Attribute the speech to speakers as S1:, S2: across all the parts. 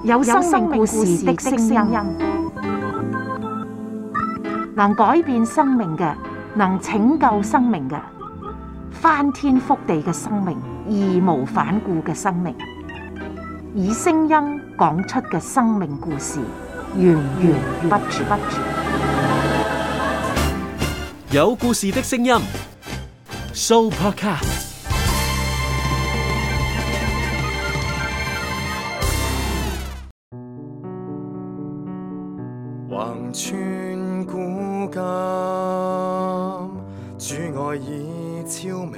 S1: 有生命故事的聲音，能改變生命嘅，能拯救生命嘅，翻天覆地嘅生命，義無反顧嘅生命，以聲音講出嘅生命故事，源源不絕。
S2: 有故事的聲音 ，Sooopodcast。
S3: 橫穿古今，主愛已超明，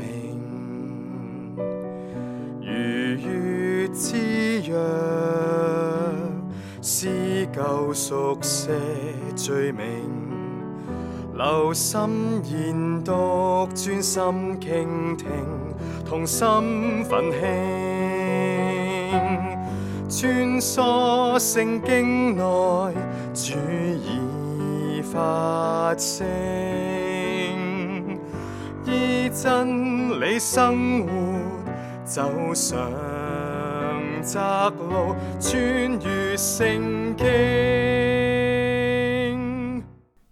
S3: 如月之約，撕舊熟寫罪名，留心研讀，專心傾聽，同心奮興，穿梭聖經內，主已發聲，依真理生活，走上窄路，穿越聖經。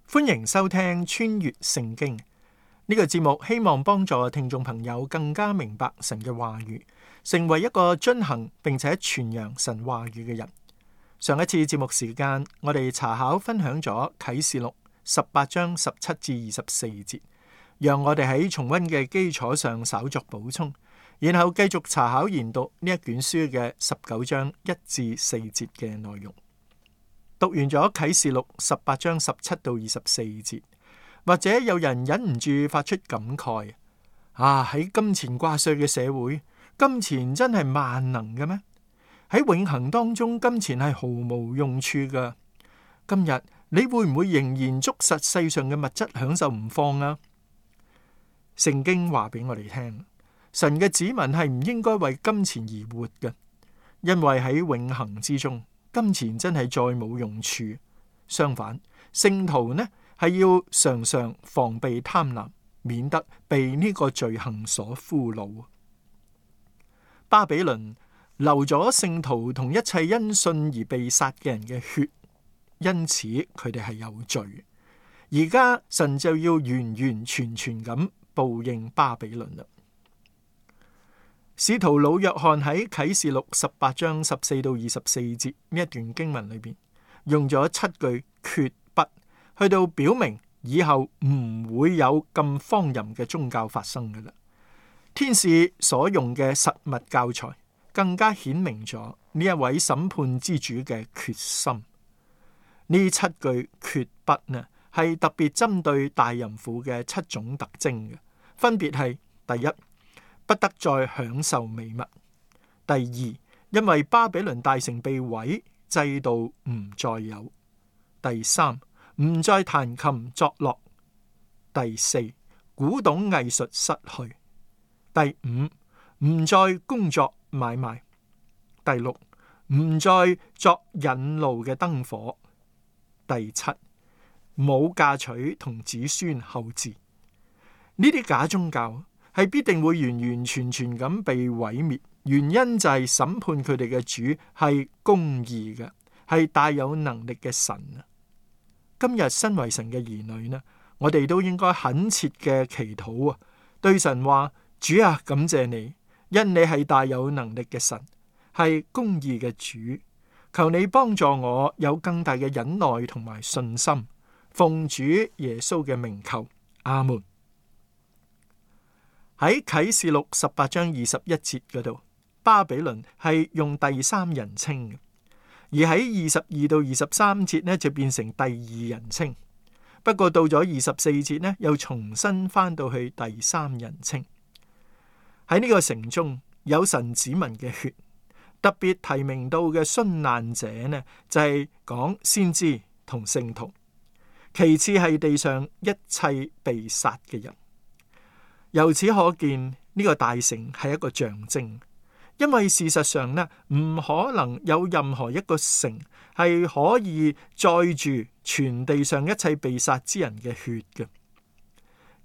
S4: 歡迎收聽穿越聖經呢個節目，希望幫助聽眾朋友更加明白神嘅話語，成為一個遵行並且傳揚神話語嘅人。上一次節目時間，我哋查考分享咗啟示錄18章17至24節，讓我哋喺重溫嘅基礎上稍作補充，然後繼續查考研讀呢一卷書嘅19章1至4節嘅內容。讀完咗啟示錄18章17到24節，或者有人忍唔住發出感慨：喺金錢掛帥嘅社會，金錢真係萬能嘅咩？喺永恆當中，金錢係毫無用處噶。今日你會唔會仍然捉實世上嘅物質享受唔放啊？聖經話俾我哋聽，神嘅子民係唔應該為金錢而活嘅，因為喺永恆之中，金錢真係再冇用處。相反，聖徒呢係要常常防備貪婪，免得被呢個罪行所俘虜。巴比倫流咗聖徒同一切因信而被殺嘅人嘅血，因此佢哋係有罪。而家神就要完完全全咁報應巴比倫啦。使徒老約翰喺啟示錄18章14到24節呢一段經文裏邊，用咗7句決不去到表明以後唔會有咁荒淫嘅宗教發生噶啦。天使所用嘅實物教材更加顯明咗呢一位審判之主嘅決心。呢7句決不呢，係特別針對大淫婦嘅7種特徵嘅，分別係：第一，不得再享受美物；第二，因為巴比倫大城被毀，制度唔再有；第三，唔再彈琴作樂；第四，古董藝術失去；第五，唔再工作買賣；第六，唔再作引路嘅燈火；第七，冇嫁娶同子孫後嗣。呢啲假宗教係必定會完完全全咁被毀滅，原因就係審判佢哋嘅主係公義嘅，係大有能力嘅神啊！今日身為神嘅兒女呢，我哋都應該懇切嘅祈禱啊，對神話：主啊，感謝你，因你係大有能力嘅神，係公義嘅主，求你幫助我有更大嘅忍耐同埋信心，奉主耶穌嘅名求，阿門。喺啟示錄18章21節嗰度，巴比倫係用第三人稱嘅，而喺22到23節呢就變成第二人稱。不過到咗24節呢，又重新翻到去第三人稱。喺呢個城中有神子民嘅血，特別提名到嘅殉難者呢，就係講先知同聖徒，其次係地上一切被殺嘅人。由此可見，呢個大城係一個象徵，因為事實上呢，唔可能有任何一個城係可以載住全地上一切被殺之人嘅血嘅。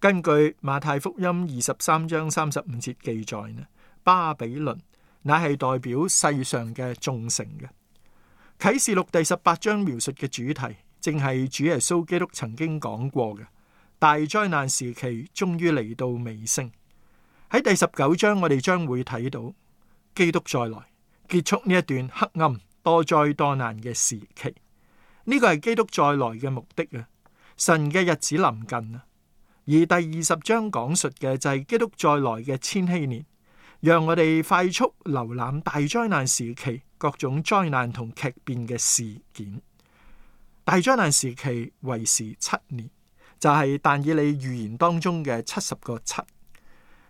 S4: 根據馬太福音23章35節記載呢，巴比倫乃係代表世上嘅眾城嘅。啟示錄第18章描述嘅主題，正係主耶穌基督曾經講過嘅大災難時期終於嚟到尾聲。喺第19章，我哋將會睇到基督再來，結束呢一段黑暗多災多難嘅時期。呢個係基督再來嘅目的啊！神嘅日子臨近啊！而第20章講述嘅就係基督再來嘅千禧年，讓我哋快速瀏覽大災難時期各種災難同劇變嘅事件。大災難時期為時7年，就係但以理預言當中嘅70個7。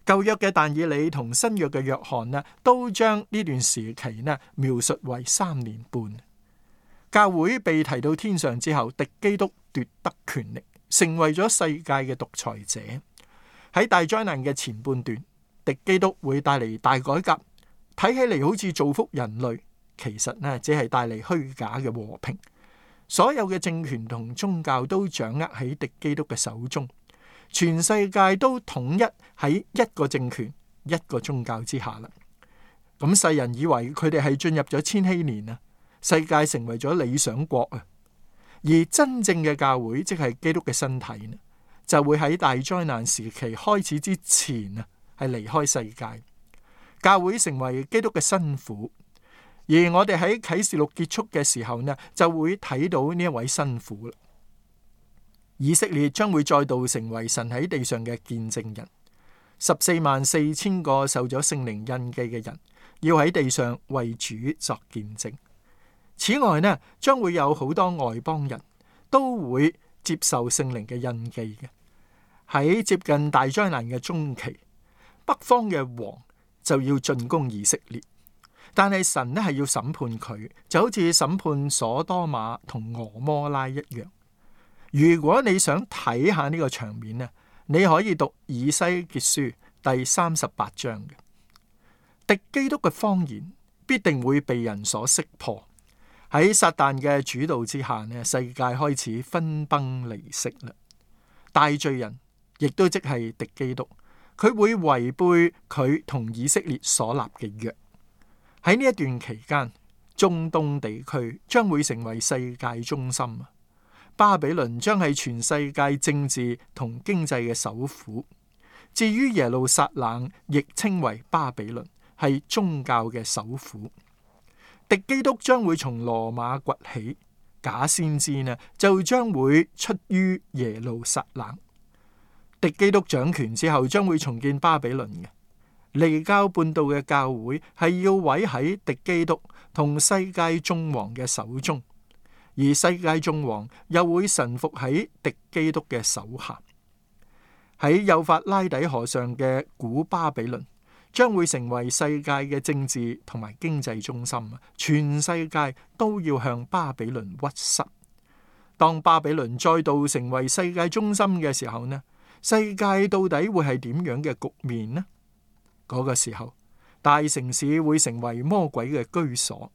S4: 舊約嘅但以理同新約嘅約翰呢，都將呢段時期呢描述為3年半。教會被提到天上之後，敵基督奪得權力，成為咗世界嘅獨裁者。喺大災難嘅前半段，敵基督會帶嚟大改革，睇起嚟好似造福人類，其實呢只係帶嚟虛假嘅和平。所有嘅政權同宗教都掌握喺敵基督嘅手中，全世界都統一喺一個政權、一個宗教之下啦。咁世人以為佢哋係進入咗千禧年啊，世界成為咗理想國啊。而真正嘅教會，即係基督嘅身體呢，就會喺大災難時期開始之前啊，係離開世界。教會成為基督嘅新婦。而我哋喺啟示錄結束嘅時候呢，就會睇到呢一位新婦啦。以色列將會再度成為神喺地上嘅見證人。144000個受咗聖靈印記嘅人，要喺地上為主作見證。此外呢，將會有好多外邦人都會接受聖靈嘅印記嘅。喺接近大災難嘅中期，北方嘅王就要進攻以色列。但係神呢係要審判佢，就好似審判所多瑪同俄摩拉一樣。如果你想睇下呢個場面呢，你可以讀以西結書第38章嘅。敵基督嘅謊言必定會被人所識破。喺撒旦嘅主導之下呢，世界開始分崩離析啦。大罪人亦都即係敵基督，佢會違背佢同以色列所立嘅約。喺呢一段期間，中東地區將會成為世界中心。巴比倫將係全世界政治同經濟嘅首府。至於耶路撒冷，亦稱為巴比倫，係宗教嘅首府。敵基督將會從羅馬崛起，假先知呢就將會出於耶路撒冷。敵基督掌權之後，將會重建巴比倫嘅。離教叛道嘅教會係要毀喺敵基督同世界眾王嘅手中，而世界眾王又會臣服喺敵基督嘅手下。喺幼發拉底河上嘅古巴比倫將會成為世界嘅政治同埋經濟中心，全世界都要向巴比倫屈膝。當巴比倫再度成為世界中心嘅時候呢，世界到底會係點樣嘅局面呢？嗰個時候，大城市會成為魔鬼嘅居所，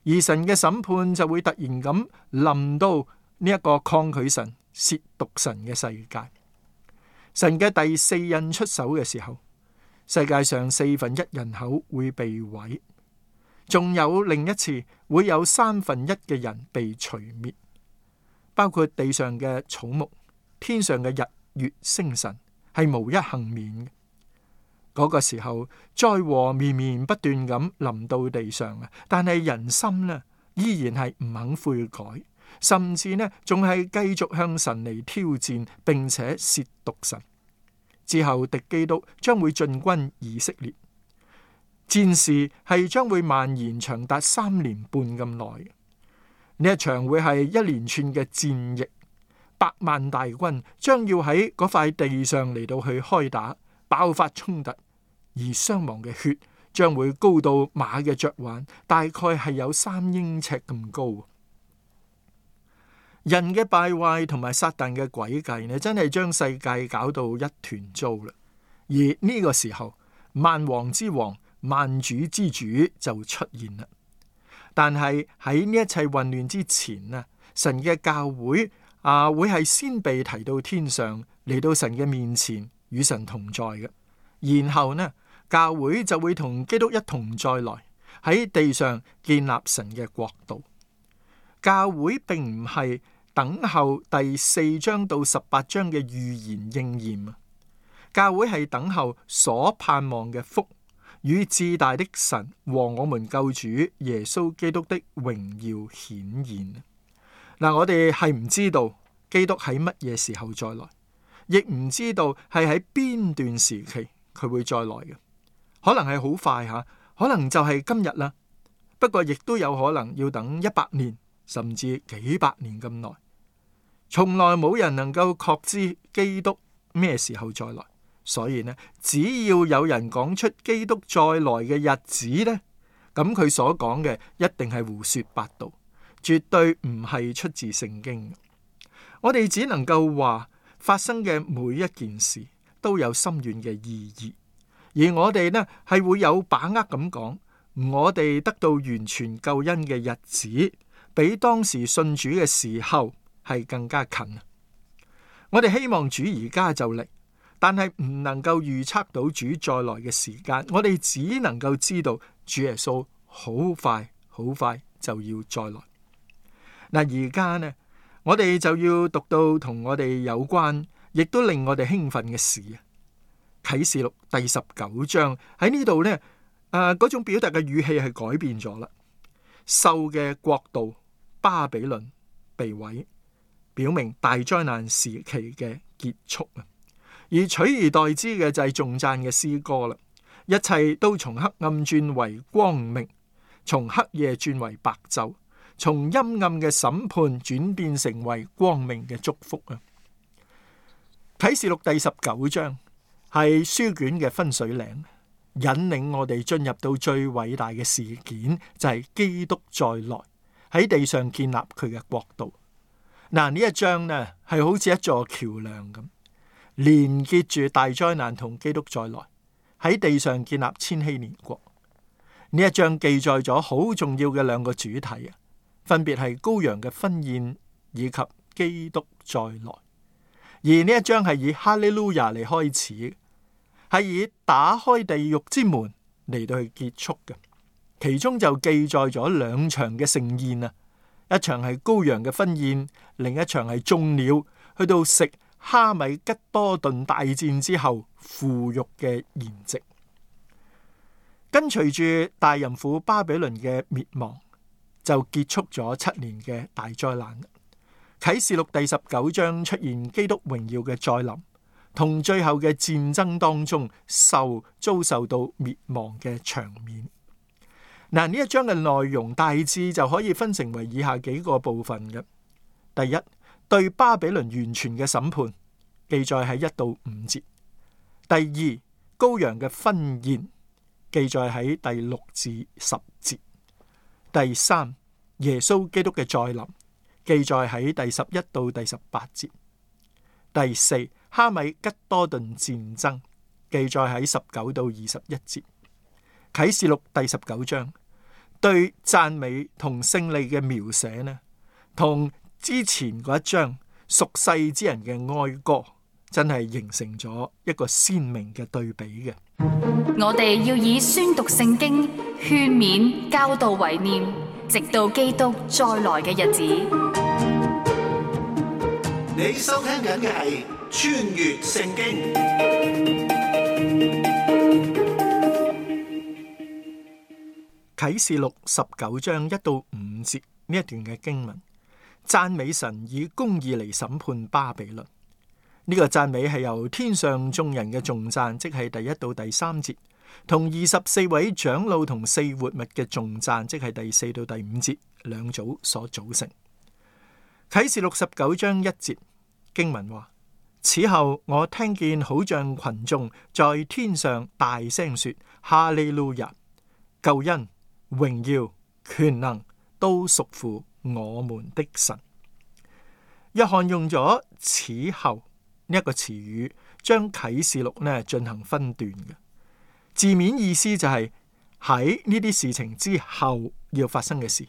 S4: 而神嘅審判就會突然咁臨到呢一個抗拒神、褻瀆神嘅世界。神嘅第四印出手嘅時候，世界上1/4人口會被毀，仲有另一次會有1/3嘅人被除滅，包括地上嘅草木、天上嘅日月星辰，係無一幸免嘅。嗰個時候，災禍綿綿不斷咁臨到地上啊！但係人心呢，依然係唔肯悔改，甚至呢，仲係繼續向神嚟挑戰，並且褻瀆神。之後，敵基督將會進軍以色列，戰事係將會蔓延長達3年半咁耐。呢一場會係一連串嘅戰役，100萬大軍將要喺嗰塊地上嚟到去開打，爆發衝突。而傷亡嘅血將會高到馬嘅嚼環，大概係有3英尺咁高。人嘅敗壞同埋撒旦嘅詭計呢，真係將世界搞到一團糟啦。而呢個時候，萬王之王、萬主之主就出現啦。但係喺呢一切混亂之前呢，神嘅教會會係先被提到天上，嚟到神嘅面前與神同在嘅。然後呢，教會就會同基督一同再來，喺地上建立神嘅國度。教會並唔係等候第4章到18章嘅預言應驗啊，教會係等候所盼望嘅福與至大的神和我們救主耶穌基督的榮耀顯現。我哋係唔知道基督喺乜嘢時候再來，亦唔知道係喺邊段時期佢會再來嘅。可能係好快吓，可能就係今日啦。不過亦都有可能要等100年，甚至幾百年咁耐。從來冇人能夠確知基督咩時候再來，所以呢，只要有人講出基督再來嘅日子呢，咁佢所講嘅一定係胡說八道，絕對唔係出自聖經。我哋只能夠話發生嘅每一件事都有深遠嘅意義，而我哋呢係會有把握咁講，我哋得到完全救恩嘅日子，比當時信主嘅時候係更加近。我哋希望主而家就嚟，但係唔能夠預測到主再來嘅時間。我哋只能夠知道主耶穌好快好快就要再來。而家呢，我哋就要讀到同我哋有關，亦都令我哋興奮嘅事啊。啟示錄第19章喺呢度呢，嗰種表達嘅語氣係改變咗啦。獸嘅國度巴比倫被毀，表明大災難時期嘅結束啊！而取而代之嘅就係頌讚嘅詩歌啦。一切都從黑暗轉為光明，從黑夜轉為白晝，從陰暗嘅審判轉變成為光明嘅祝福啊！啟示錄第19章係書卷嘅分水嶺，引領我哋進入到最偉大嘅事件，就係基督再來喺地上建立佢嘅國度。呢一章呢係好似一座橋樑咁，連結住大災難同基督再來喺地上建立千禧年國。呢一章記載咗好重要嘅兩個主題啊，分別係羔羊嘅婚宴以及基督再來。而呢一章係以哈利路亞嚟開始，係以打開地獄之門嚟到去結束嘅。其中就記載咗兩場嘅盛宴啊，一場係羔羊嘅婚宴，另一場係眾鳥去到食哈米吉多頓大戰之後腐肉嘅筵席。跟隨住大淫婦巴比倫嘅滅亡，就結束咗7年嘅大災難。啟示錄第19章出現基督榮耀嘅再臨，同最後嘅戰爭當中遭受到滅亡嘅場面。呢一章嘅內容大致就可以分成為以下幾個部分嘅。第一，對巴比倫完全嘅審判，記載喺1到5節。第二，羔羊嘅婚宴，記載喺第6至10節。第三，耶穌基督嘅再臨，記載喺第11到第18節。第四，哈米吉多頓戰爭，記載喺19到21節。啟示錄第19章對讚美同勝利嘅描寫呢，同之前嗰一章屬世之人嘅哀歌，真係形成咗一個鮮明嘅對比嘅。
S5: 我哋要以宣讀聖經、勸勉、教導為念，直到基督再來嘅日子。
S6: 你收聽緊嘅係穿越聖經。
S4: 啟示錄19章1到5節呢一段嘅經文，讚美神以公義嚟審判巴比倫。呢個讚美係由天上眾人嘅頌讚，即係第1到第3節，同24位長老同4活物嘅頌讚，即係第4到第5節兩組所組成。啟示錄19章1節經文話：此後我聽見好像群眾在天上大聲說：哈利路亞！救恩、榮耀、權能都屬乎我們的神。約翰用咗此後呢一個詞語，將啟示錄呢進行分段嘅字面意思就係喺呢啲事情之後要發生嘅事。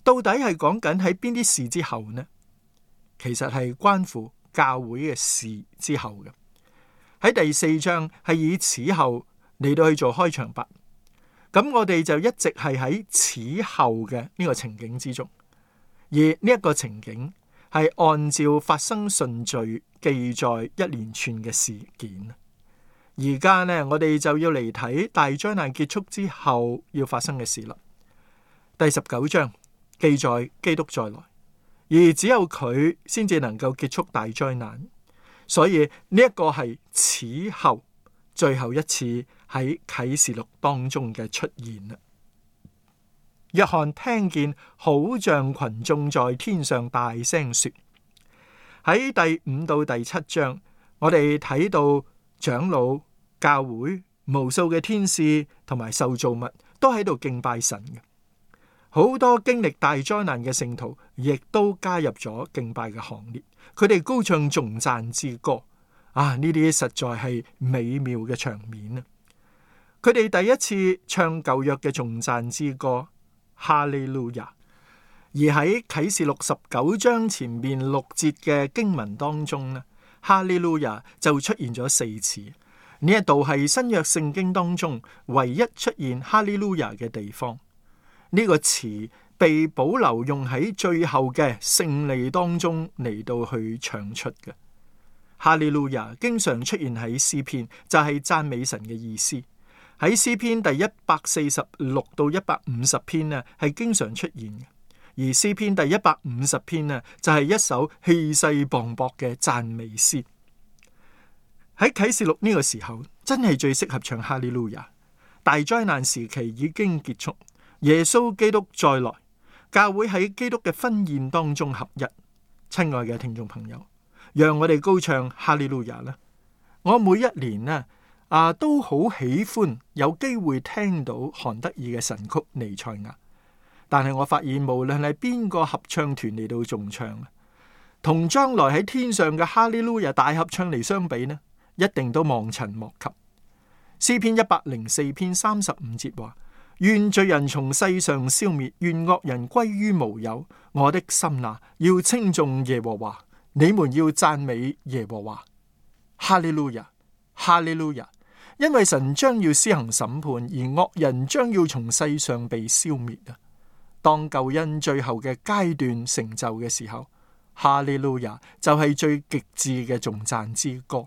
S4: 到底係講緊喺邊啲事之後呢？其實係關乎教會嘅事之後嘅。喺第4章係以此後嚟到去做開場白。咁我哋就一直係喺此後嘅呢個情景之中，而呢一個情景係按照發生順序記載一連串嘅事件。而家呢，我哋就要嚟睇大災難結束之後要發生嘅事啦。第19章記載基督再來，而只有佢先至能夠結束大災難，所以呢一個係此後最後一次喺啟示錄當中嘅出現啦。約翰聽見好像群眾在天上大聲說，喺第5到第7章，我哋睇到長老、教會、無數嘅天使同埋受造物都喺度敬拜神嘅。好多經歷大災難嘅聖徒亦都加入咗敬拜嘅行列，佢哋高唱頌讚之歌。呢啲實在係美妙嘅場面啊！佢哋第一次唱舊約嘅頌讚之歌，哈利路亞。而喺啟示錄19章前面6節嘅經文當中呢，哈利路亞就出現咗4次。呢一度係新約聖經當中唯一出現哈利路亞嘅地方。呢個詞被保留用喺最後嘅勝利當中嚟到去唱出嘅。哈利路亞經常出現喺詩篇，就係讚美神嘅意思。喺詩篇第146到150篇呢，係經常出現嘅。而詩篇第150篇呢，就係一首氣勢磅礴嘅讚美詩。喺啟示錄呢個時候，真係最適合唱哈利路亞。大災難時期已經結束，耶穌基督再來，教會喺基督嘅婚宴當中合一。親愛嘅聽眾朋友，讓我哋高唱哈利路亞啦！我每一年呢都好喜歡有機會聽到韓德爾嘅神曲《彌賽亞》，但係我發現無論係邊個合唱團嚟到重唱，同將來喺天上嘅哈利路亞大合唱嚟相比呢，一定都望塵莫及。詩篇104篇35節話：願罪人從世上消滅，願惡人歸於無有。我的心啊，要稱頌耶和華，你們要讚美耶和華。哈利路亞，哈利路亞！因為神將要施行審判，而惡人將要從世上被消滅啊！當救恩最後嘅階段成就嘅時候，哈利路亞就係最極致嘅頌讚之歌。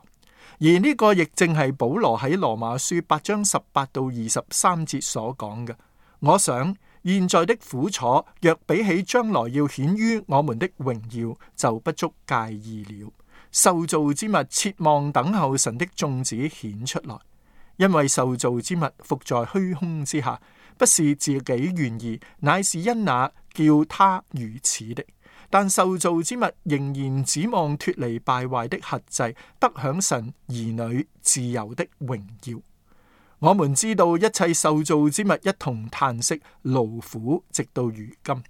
S4: 而呢個亦正係保羅喺羅馬書8章18到23節所講嘅。我想現在的苦楚若比起將來要顯於我們的榮耀，就不足介意了。受造之物切望等候神的眾子顯出來，因為受造之物伏在虛空之下，不是自己願意，乃是因那叫他如此的。但受造之物仍然指望脫離敗壞的轄制，得享神兒女自由的榮耀。我們知道一切受造之物一同嘆息勞苦，直到如今。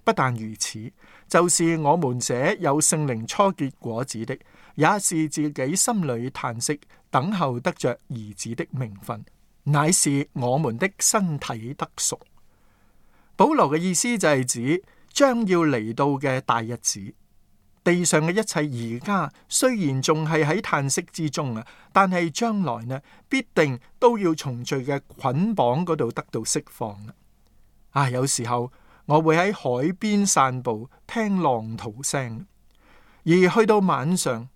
S4: 不但如此，就是我們這有聖靈初結果子的，也是自己心裏嘆息，等候得着兒子的名分，乃是我們的身體得贖。保羅嘅意思就係指將要嚟到嘅大日子，地上嘅一切而家雖然仲係喺嘆息之中啊，但係將來呢，必定都要從罪嘅捆綁嗰度得到釋放啦。有時候我會喺海邊散步，聽浪濤聲，而去到晚上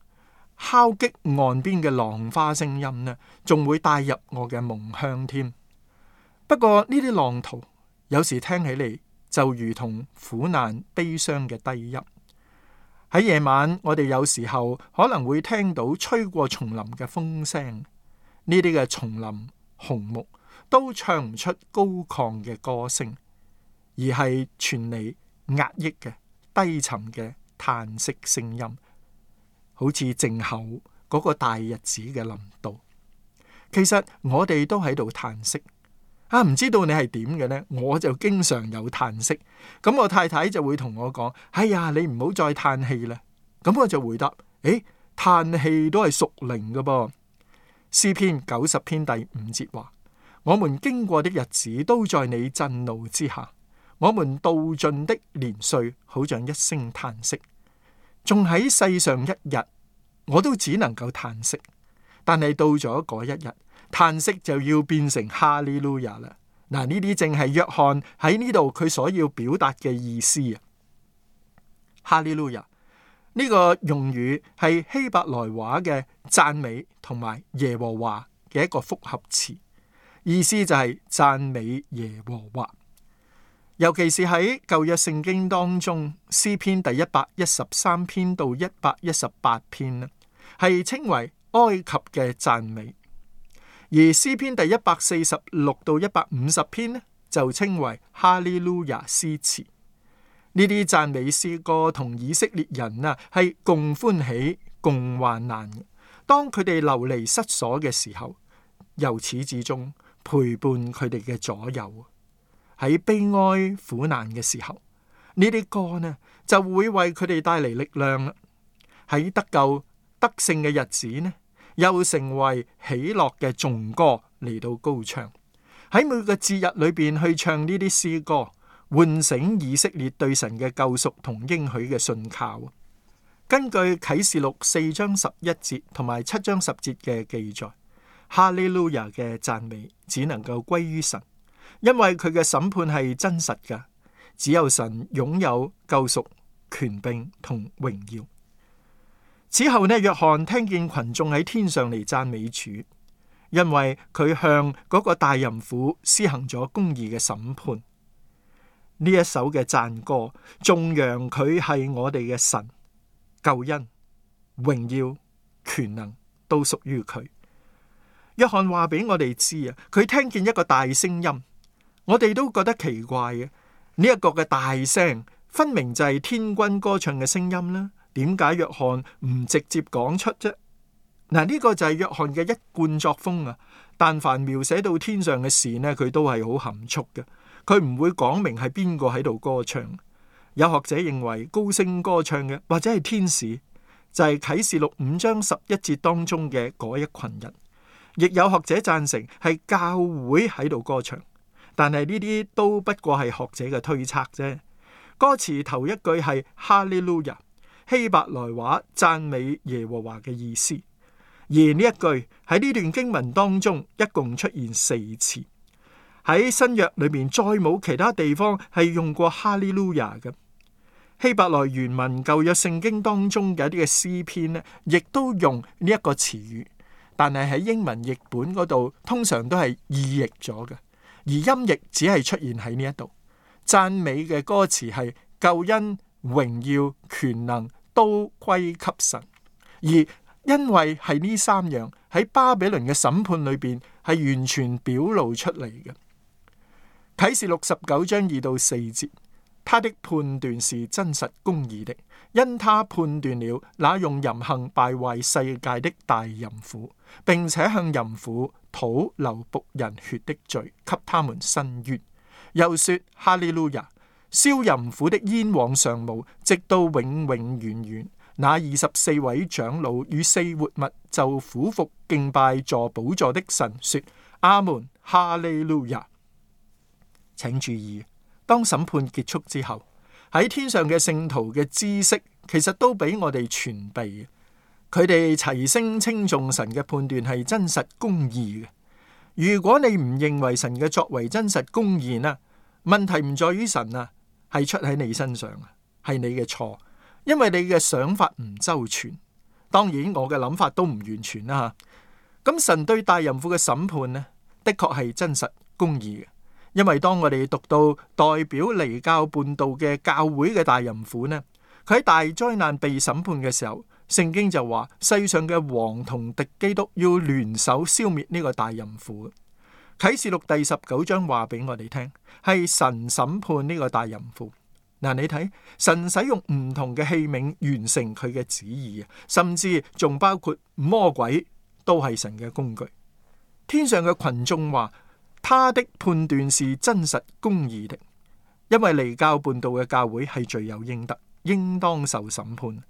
S4: 敲擊岸邊嘅浪花聲音呢，仲會帶入我嘅夢鄉添。不過呢啲浪濤有時聽起嚟就如同苦難悲傷嘅低音。喺夜晚，我哋有時候可能會聽到吹過叢林嘅風聲，呢啲嘅叢林紅木都唱唔出高亢嘅歌聲，而係傳嚟壓抑嘅低沉嘅嘆息聲音，好似靜候嗰個大日子嘅臨到。其實我哋都喺度嘆息。唔知道你係點嘅呢？我就經常有嘆息，咁我太太就會同我講：哎呀，你唔好再嘆氣啦。咁我就回答：嘆氣都係屬靈㗎噃。詩篇90篇第5節話：我們經過的日子都在你震怒之下，我們度盡的年歲好像一聲嘆息。仲喺世上一日，我都只能夠嘆息。但係到咗嗰一日，嘆息就要變成哈利路亞啦。嗱，呢啲正係約翰喺呢度佢所要表達嘅意思啊。哈利路亞呢個用語係希伯來話嘅讚美同埋耶和華嘅一個複合詞，意思就係讚美耶和華。尤其是喺舊約聖經當中，詩篇第113篇到118篇呢，係稱為埃及嘅讚美；而詩篇第146到150篇呢，就稱為哈利路亞詩詞。呢啲讚美詩歌同以色列人啊係共歡喜共患難嘅。當佢哋流離失所嘅時候，由始至終陪伴佢哋嘅左右。喺悲哀苦難嘅時候，呢啲歌呢就會為佢哋帶嚟力量啦。喺得救得勝嘅日子呢，又成為喜樂嘅頌歌嚟到高唱。喺每個節日裏邊去唱呢啲詩歌，喚醒以色列對神嘅救贖同應許嘅信靠。根據啟示錄4章11節同埋7章10節嘅記載，哈利路亞嘅讚美只能夠歸於神。因為佢嘅審判係真實嘅，只有神擁有救贖、權柄同榮耀。此後呢，約翰聽見群眾喺天上嚟讚美主，因為佢向嗰個大淫婦施行咗公義嘅審判。呢一首嘅讚歌頌揚佢係我哋嘅神，救恩、榮耀、權能都屬於佢。約翰話俾我哋知啊，佢聽見一個大聲音。我哋都覺得奇怪嘅，呢一個嘅大聲分明就係天軍歌唱嘅聲音啦。點解約翰唔直接講出啫？嗱，呢個就係約翰嘅一貫作風啊。但凡描寫到天上嘅事呢，佢都係好含蓄嘅，佢唔會講明係邊個喺度歌唱。有學者認為高聲歌唱嘅或者係天使，就係啟示錄5章11節當中嘅嗰一群人。亦有學者贊成係教會喺度歌唱。但係呢啲都不過係學者嘅推測啫。歌詞頭一句係哈利路亞，希伯來話讚美耶和華嘅意思。而呢一句喺呢段經文當中一共出現4次。喺新約裏面再冇其他地方係用過哈利路亞嘅。希伯來原文舊約聖經當中嘅一啲嘅詩篇呢，亦都用呢一個詞語，但係喺英文譯本嗰度通常都係意譯咗嘅。而音譯只係出現喺呢一度，讚美嘅歌詞係救恩、榮耀、權能都歸給神。而因為係呢3樣喺巴比倫嘅審判裏邊係完全表露出嚟嘅。啟示錄19章2到4節，他的判斷是真實公義的，因他判斷了那用淫行敗壞世界的大淫婦，並且向淫婦討流僕人血的罪，給他們伸冤。又說哈利路亞，燒淫婦的煙往上冒，直到永永遠遠。那24位長老與4活物就俯伏敬拜坐寶座的神，說阿門，哈利路亞。請注意，當審判結束之後，喺天上嘅聖徒嘅知識其實都俾我哋傳備。佢哋齊聲稱頌神嘅判斷係真實公義嘅。如果你唔認為神嘅作為真實公義呢，問題唔在於神啊，係出喺你身上啊，係你嘅錯，因為你嘅想法唔周全。當然我嘅諗法都唔完全啦。咁神對大淫婦嘅審判呢，的確係真實公義嘅。因為當我哋讀到代表離教叛道嘅教會嘅大淫婦呢，佢喺大災難被審判嘅時候，聖經就話世上嘅王同敵基督要聯手消滅呢個大淫婦。啟示錄第19章話俾我哋聽，係神審判呢個大淫婦。嗱，你睇神使用唔同嘅器皿完成佢嘅旨意啊，甚至仲包括魔鬼都係神嘅工具。天上嘅群眾話，他的判斷是真實公義的，因為離教叛道嘅教會係罪有應得，應當受審判。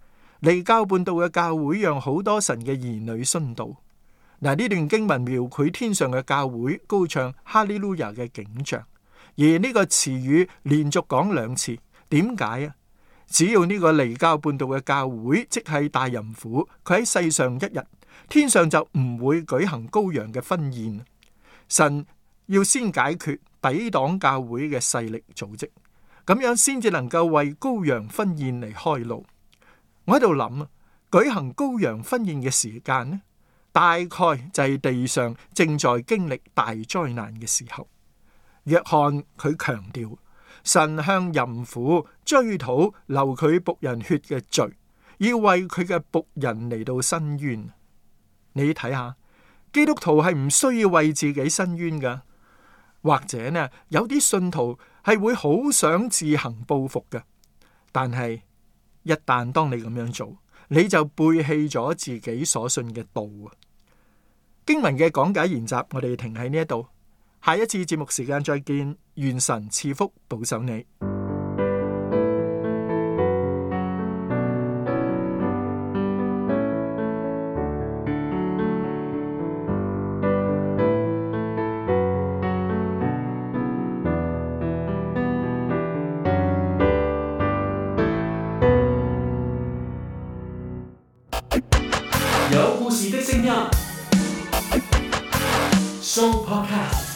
S4: 離教叛道嘅教會讓好多神嘅兒女殉道。嗱，呢段經文描繪天上嘅教會高唱哈利路亞嘅景象，而呢個詞語連續講2次。點解啊？只要呢個離教叛道嘅教會，即係大淫婦，佢喺世上1日，天上就唔會舉行羔羊嘅婚宴。神要先解決抵擋教會嘅勢力組織，咁樣先至能夠為羔羊婚宴嚟開路。我喺度諗啊，舉行羔羊婚宴嘅時間呢，大概就係地上正在經歷大災難嘅時候。約翰佢強調，神向淫婦追討流佢僕人血嘅罪，要為佢嘅僕人嚟到申冤。你睇下，基督徒係唔需要為自己申冤噶，或者呢，有啲信徒係會好想自行報復嘅，但係一旦當你咁樣做，你就背棄咗自己所信嘅道啊。經文嘅講解研習，我哋停喺呢一度，下一次節目時間再見，願神賜福保守你。
S2: 有故事的聲音，Show Podcast。